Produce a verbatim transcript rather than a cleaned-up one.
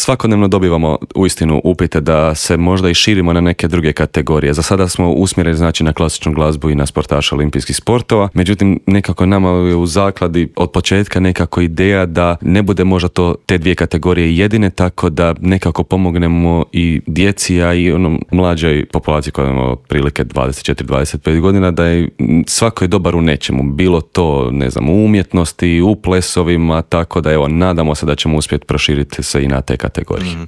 svakodnevno dobivamo uistinu upite da se možda i širimo na neke druge kategorije. Za sada smo usmjereni znači na klasičnu glazbu i na sportaša olimpijskih sportova, međutim nekako nama je u zakladi od početka nekako ideja da ne bude možda to te dvije kategorije jedine, tako da nekako pomognemo i djeci, a i onom mlađoj populaciji koja ima otprilike dvadeset četiri do dvadeset pet godina, da je svako je dobar u nečemu, bilo to ne znam u umjetnosti, u plesovima, tako da evo nadamo se da ćemo uspjeti proširiti se i na te kategorije. Mm.